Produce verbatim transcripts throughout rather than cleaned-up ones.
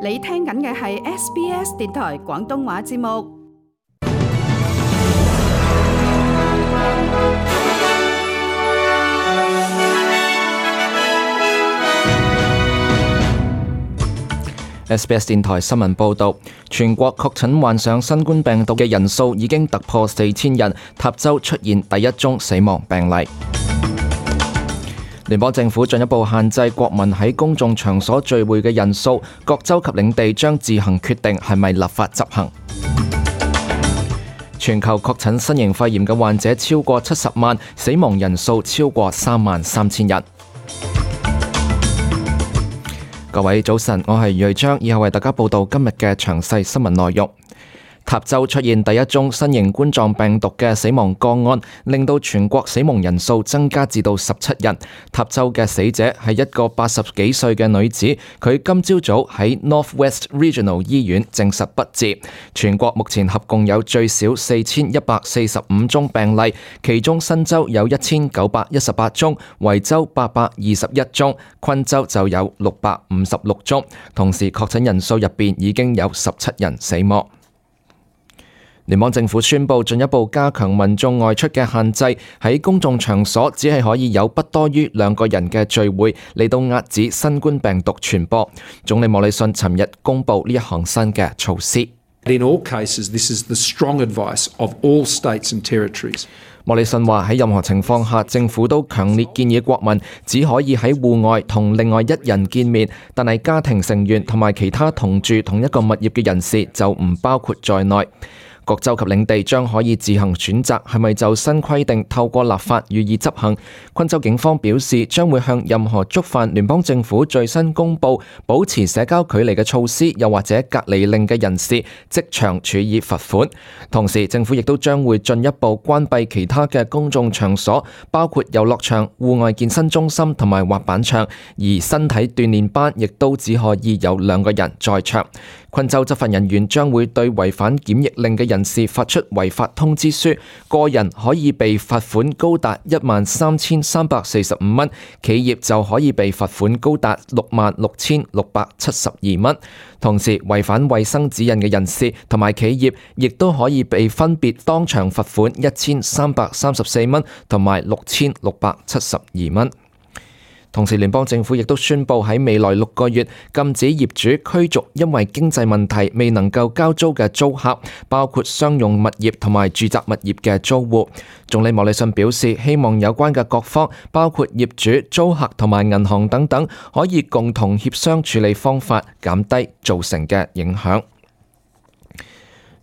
你聽緊嘅係 S B S 電台廣東話節目。S B S 電台新聞報導，全國確診患上新冠病毒嘅人數已經突破四千人，塔州出現第一宗死亡病例。聯邦政府進一步限制國民喺公眾場所聚會嘅人數，各州及領地將自行決定係咪立法執行。全球確診新型肺炎嘅患者超過七十萬，死亡人數超過三萬三千人。各位早晨，我係瑞章，以後為大家報道今日嘅詳細新聞內容。塔州出現第一宗新型冠狀病毒嘅死亡個案，令到全國死亡人數增加至到十七人。塔州嘅死者係一個八十幾歲嘅女子，佢今朝早喺 Northwest Regional 醫院證實不治。全國目前合共有最少四千一百四十五宗病例，其中新州有一千九百一十八宗，維州八百二十一宗，昆州就有六百五十六宗。同時確診人數入邊已經有十七人死亡。聯邦政府宣布進一步加強民眾外出嘅限制，喺公眾場所只係可以有不多於兩個人嘅聚會，嚟到遏止新冠病毒傳播。總理莫里遜尋日公布呢一項新嘅措施。In all cases, this is the strong advice of all states and territories. 莫里遜話喺任何情況下，政府都強烈建議國民只可以喺戶外同另外一人見面，但係家庭成員同埋其他同住同一個物業嘅人士就唔包括在內。各州及領地將可以自行選擇係咪就新規定透過立法予以執行。昆州警方表示，將會向任何觸犯聯邦政府最新公布保持社交距離嘅措施，又或者隔離令嘅人士，即場處以罰款。同時，政府亦都將會進一步關閉其他嘅公眾場所，包括遊樂場、戶外健身中心同埋滑板場，而身體鍛鍊班亦都只可以有兩個人在場。昆州執法人員將會對違反檢疫令嘅人士發出違法通知書，個人可以被罰款高達一萬三千三百四十五蚊，企業就可以被罰款高達六萬六千六百七十二蚊。同時，違反衛生指引嘅人士同埋企業亦都可以被分別當場罰款一千三百三十四蚊同埋六千六百七十二蚊。同時，聯邦政府亦都宣布喺未來六個月禁止業主驅逐因為經濟問題未能夠交租嘅租客，包括商用物業同埋住宅物業嘅租戶。總理莫里遜表示，希望有關嘅各方，包括業主、租客同埋銀行等等，可以共同協商處理方法，減低造成嘅影響。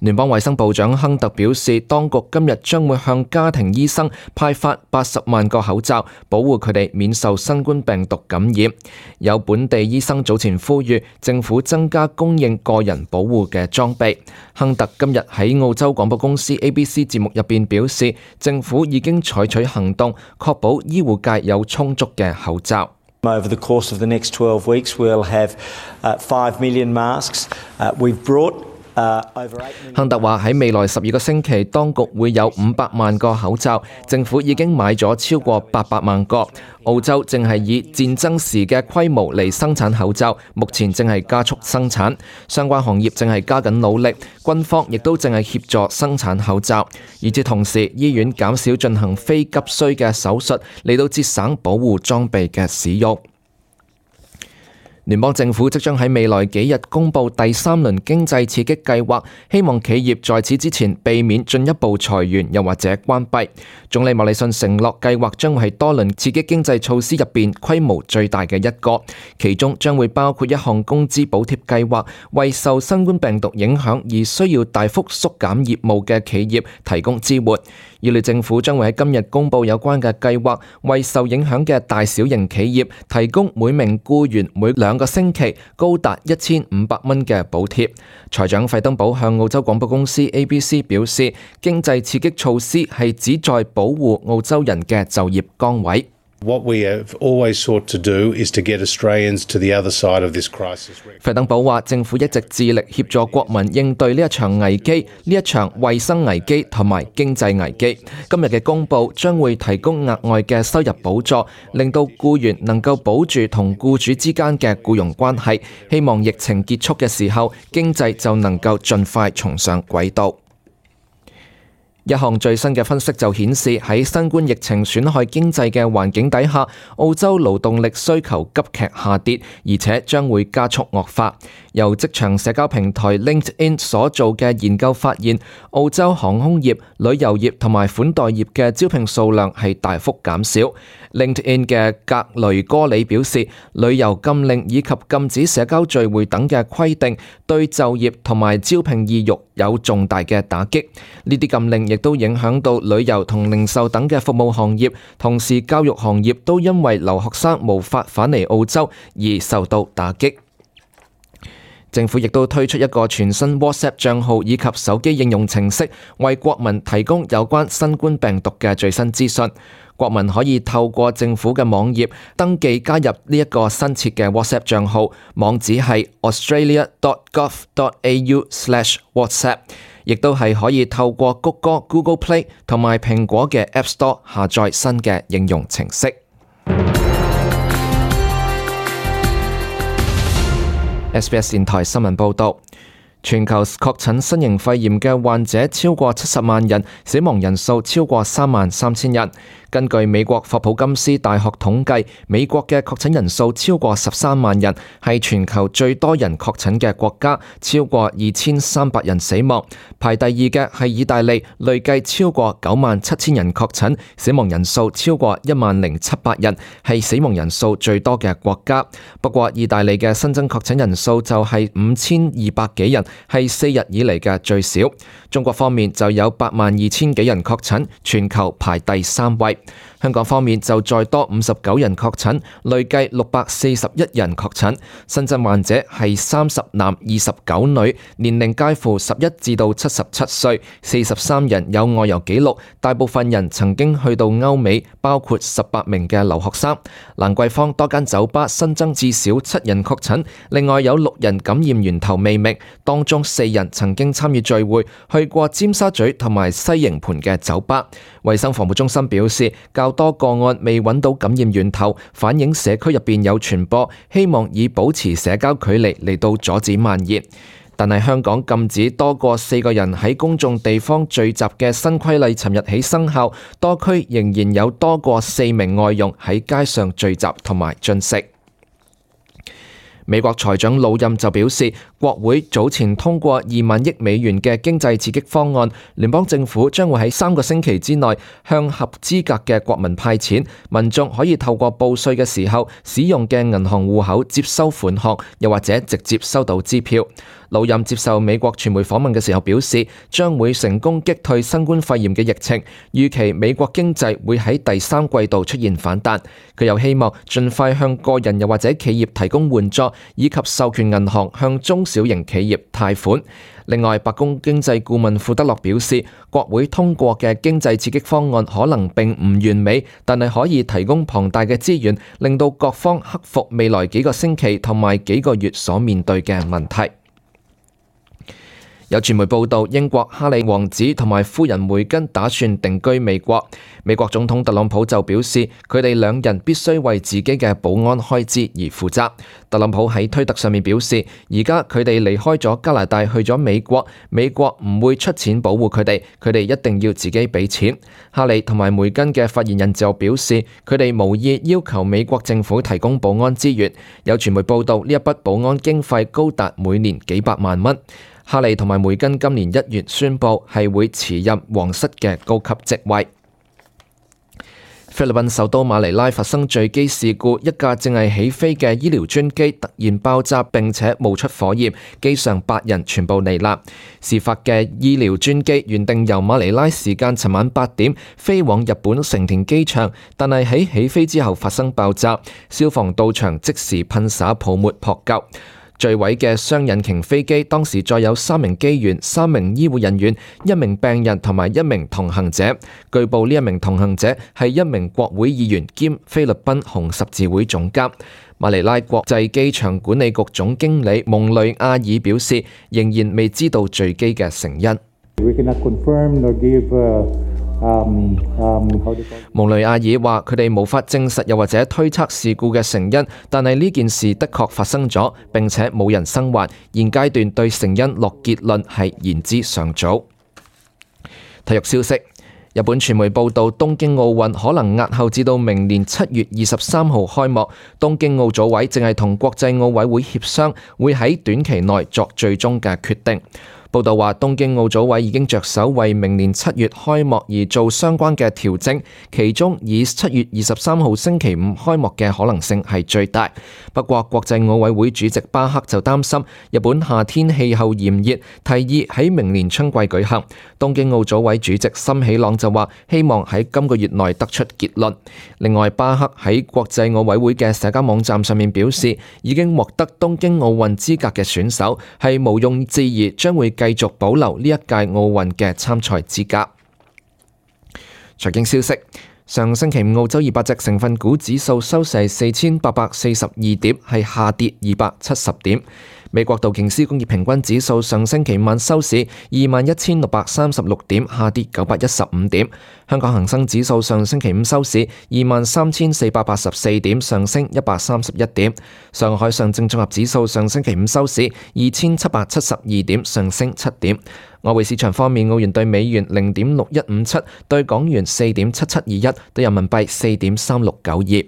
聯邦衛生部長亨特表示，當局今日將會向家庭醫生派發八十萬個口罩，保護佢哋免受新冠病毒感染。有本地醫生早前呼籲政府增加供應個人保護嘅裝備。亨特今日喺澳洲廣播公司 A B C 節目入邊表示，政府已經採取行動，確保醫護界有充足嘅口罩。Over the course of the next twelve weeks, we'll have uh, five million masks. Uh, we've brought Uh, 亨特話喺未來十二個星期，當局會有五百萬個口罩，政府已經買咗超過八百萬個。澳洲正係以戰爭時嘅規模嚟生產口罩，目前正係加速生產，相關行業正係加緊努力，軍方亦都正係協助生產口罩。與此同時，醫院減少進行非急需嘅手術，嚟到節省保護裝備嘅使用。聯邦政府即將喺未來幾日公布第三輪經濟刺激計劃，希望企業在此之前避免進一步裁員又或者關閉。總理莫里遜承諾計劃將會係多輪刺激經濟措施入邊規模最大嘅一個，其中將會包括一項工資補貼計劃，為受新冠病毒影響而需要大幅縮減業務嘅企業提供支援。預料政府將會喺今日公布有關嘅計劃，為受影響嘅大小型企業提供每名僱員每兩個星期高達一千五百蚊嘅補貼。財長費登堡向澳洲廣播公司 A B C 表示，經濟刺激措施係旨在保護澳洲人嘅就業崗位。What we have always sought to do is to get Australians to the other side of this crisis. 費登堡話：政府一直致力協助國民應對呢一場危機，呢一場衛生危機同埋經濟危機。今日嘅公佈將會提供額外嘅收入補助，令到僱員能夠保住同僱主之間嘅僱傭關係。希望疫情結束嘅時候，經濟就能夠盡快重上軌道。一項最新嘅分析就顯示，喺新冠疫情損害經濟嘅環境底下，澳洲勞動力需求急劇下跌，而且將會加速惡化。由職場社交平台 LinkedIn 所做嘅研究發現，澳洲航空業、旅遊業同埋款待業嘅招聘數量係大幅減少。LinkedIn 嘅格雷戈里表示，旅遊禁令以及禁止社交聚會等嘅規定，對就業同埋招聘意欲有重大嘅打擊。呢啲禁令亦都影響到旅遊同零售等嘅服務行業，同時教育行業都因為留學生無法返嚟澳洲而受到打擊。政府亦都推出一個全新 WhatsApp 帳號以及手機應用程式，為國民提供有關新冠病毒嘅最新資訊。國民可以透過政府嘅網頁登記加入呢一個新設嘅 WhatsApp 帳號，網址係 australia dot gov dot a u slash whatsapp， 亦都係可以透過谷歌 Google Play 同埋蘋果嘅 App Store 下載新嘅應用程式。S B S 電台新聞報導，全球確診新型肺炎嘅患者超過七十萬人，死亡人數超過三萬三千人。根據美國霍普金斯大學統計，美國嘅確診人數超過十三萬人，係全球最多人確診嘅國家，超過二千三百人死亡。排第二嘅係意大利，累計超過九萬七千人確診，死亡人數超過一萬零七百人，係死亡人數最多嘅國家。不過，意大利嘅新增確診人數就係五千二百幾人，係四日以嚟嘅最少。中國方面就有八萬二千幾人確診，全球排第三位。香港方面就再多五十九人確診，累計六百四十一人確診。新增患者係三十男二十九女，年齡介乎十一至到七十七歲，四十三人有外遊記錄，大部分人曾經去到歐美，包括十八名嘅留學生。蘭桂坊多間酒吧新增至少七人確診，另外有六人感染源頭未明，當中四人曾經參與聚會，去過尖沙咀同埋西營盤嘅酒吧。衛生防護中心表示，較多個案未揾到感染源頭，反映社區入邊有傳播，希望以保持社交距離嚟到阻止蔓延。但係香港禁止多過四個人喺公眾地方聚集嘅新規例尋日起生效，多區仍然有多過四名外傭喺街上聚集同埋進食。美國財長魯任就表示，國會早前通過二萬億美元嘅經濟刺激方案，聯邦政府將會喺三個星期之內向合資格嘅國民派錢，民眾可以透過報稅嘅時候使用嘅銀行戶口接收款項，又或者直接收到支票。魯任接受美國傳媒訪問嘅時候表示，將會成功擊退新冠肺炎嘅疫情，預期美國經濟會喺第三季度出現反彈。佢又希望盡快向個人又或者企業提供援助，以及授權銀行向中小型企業貸款。另外，白宮經濟顧問庫德洛表示，國會通過嘅經濟刺激方案可能並唔完美，但係可以提供龐大嘅資源，令到各方克服未來幾個星期同埋幾個月所面對嘅問題。有傳媒報道，英國哈里王子同埋夫人梅根打算定居美國。美國總統特朗普就表示，佢哋兩人必須為自己嘅保安開支而負責。特朗普喺推特上面表示，而家佢哋離開咗加拿大去咗美國，美國唔會出錢保護佢哋，佢哋一定要自己俾錢。哈里同埋梅根嘅發言人就表示，佢哋無意要求美國政府提供保安資源。有傳媒報道，呢一筆保安經費高達每年幾百萬蚊。哈里同埋梅根今年一月宣布係會辭任皇室嘅高級職位。菲律賓首都馬尼拉發生墜機事故，一架正係起飛嘅醫療專機突然爆炸並且冒出火焰，機上八人全部罹難。事發嘅醫療專機原定由馬尼拉時間尋晚八點飛往日本成田機場，但係喺起飛之後發生爆炸，消防到場即時噴灑泡沫撲救。墜毀嘅雙引擎飛機當時載有三名機員、三名醫護人員、一名病人同埋一名同行者。據報呢一名同行者係一名國會議員兼菲律賓紅十字會總監。馬尼拉國際機場管理局總經理蒙雷亞爾表示，仍然未知道墜機嘅成因。蒙雷亞爾話：佢哋無法證實又或者推測事故嘅成因，但係呢件事的確發生咗，並且冇人生還。現階段對成因落結論係言之尚早。體育消息。日本傳媒報道，東京奧運可能押後至到明年七月二十三號開幕。東京奧組委正係同國際奧委會協商，會喺短期內作最終嘅決定。報道話，東京奧組委已經着手為明年七月開幕而做相關嘅調整，其中以七月二十三號星期五開幕嘅可能性係最大。不過，國際奧委會主席巴克就擔心日本夏天氣候炎熱，提議喺明年春季舉行。東京奧組委主席森喜朗就話，希望喺今個月內得出結論。另外，巴克喺國際奧委會嘅社交網站上面表示，已經獲得東京奧運資格嘅選手係毋庸置疑將會繼續保留呢一屆奧運嘅參賽資格。財經消息，上星期五澳洲二百隻成分股指數收市四千八百四十二點，係下跌二百七十點。美國道瓊斯工業平均指數上星期五晚收市二萬一千六百三十六點，下跌九百一十五點。香港恒生指數上星期五收市二萬三千四百八十四點，上升一百三十一點。上海上證綜合指數上星期五收市二千七百七十二點，上升七點。外匯市場方面，澳元對美元零點六一五七，對港元四點七七二一，對人民幣四點三六九二。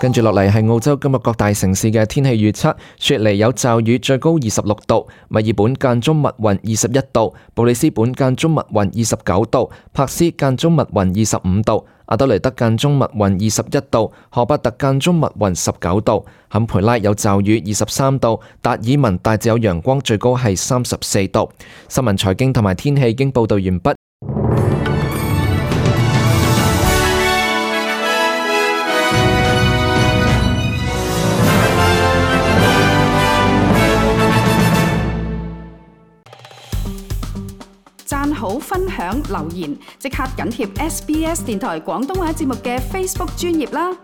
跟住落嚟係澳洲今日各大城市嘅天氣預測。雪梨有驟雨，最高二十六度；墨爾本間中密雲，二十一度；布里斯本間中密雲，二十九度；珀斯間中密雲，二十五度；阿德雷德間中密雲，二十一度；荷伯特間中密雲，十九度；坎培拉有驟雨，二十三度；達爾文大致有陽光，最高係三十四度。新聞、財經同埋天氣已經報道完畢。讚好、分享、留言，即刻緊貼 S B S 電台廣東話節目嘅 Facebook 專頁啦！